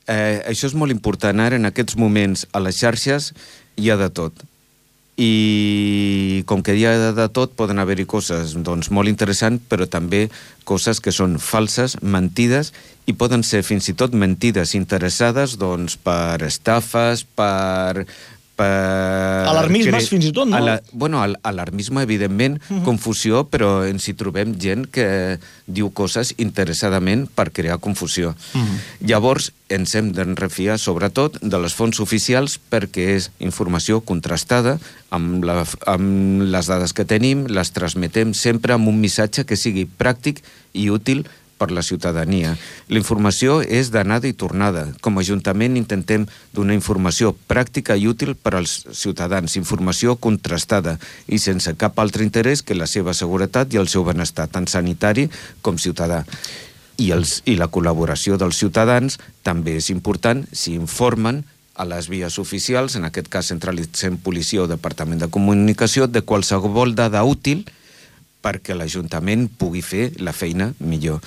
això és molt important. Ara, en aquests moments, a les xarxes hi ha de tot. I com que hi ha de tot, poden haver-hi coses molt interessants, però també coses que són falses, mentides, i poden ser fins i tot mentides interessades per estafes, per alarmismes fins i tot, no? Bueno, alarmisme, evidentment, confusió, però ens hi trobem gent que diu coses interessadament per crear confusió. Llavors, ens hem de refiar, sobretot, de les fonts oficials perquè és informació contrastada amb les dades que tenim, les transmetem sempre amb un missatge que sigui pràctic i útil per la ciutadania. La informació és d'anada i tornada. Com a Ajuntament intentem donar informació pràctica i útil per als ciutadans, informació contrastada i sense cap altre interès que la seva seguretat i el seu benestar, tant sanitari com ciutadà. I la col·laboració dels ciutadans també és important si informen a les vies oficials, en aquest cas centralitzem policia o departament de comunicació, de qualsevol dada útil perquè l'Ajuntament pugui fer la feina millor.